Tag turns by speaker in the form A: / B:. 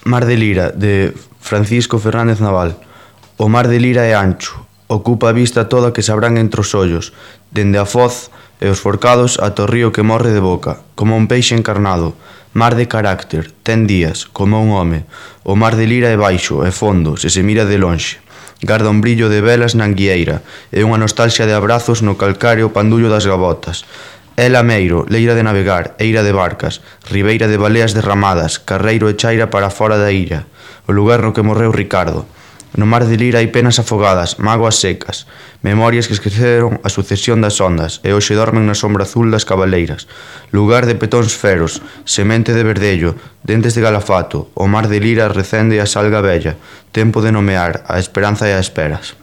A: Mar de Lira, de Francisco Fernández Naval. O mar de Lira é ancho, ocupa a vista toda que sabrán entre os ollos, dende a foz e os forcados ata o río que morre de boca, como un peixe encarnado. Mar de carácter, ten días, como un home. O mar de Lira é baixo e fondo, se mira de lonxe. Garda un brillo de velas na anguieira e unha nostalgia de abrazos no calcáreo pandullo das gavotas. É lameiro, leira de navegar, eira de barcas, ribeira de baleas derramadas, carreiro e chaira para fora da illa, o lugar no que morreu Ricardo. No mar de Lira hai penas afogadas, mágoas secas, memorias que esqueceron a sucesión das ondas e hoxe dormen na sombra azul das cabaleiras. Lugar de petóns feros, semente de verdello, dentes de galafato, o mar de Lira recende a salga vella, tempo de nomear, a esperanza e a esperas.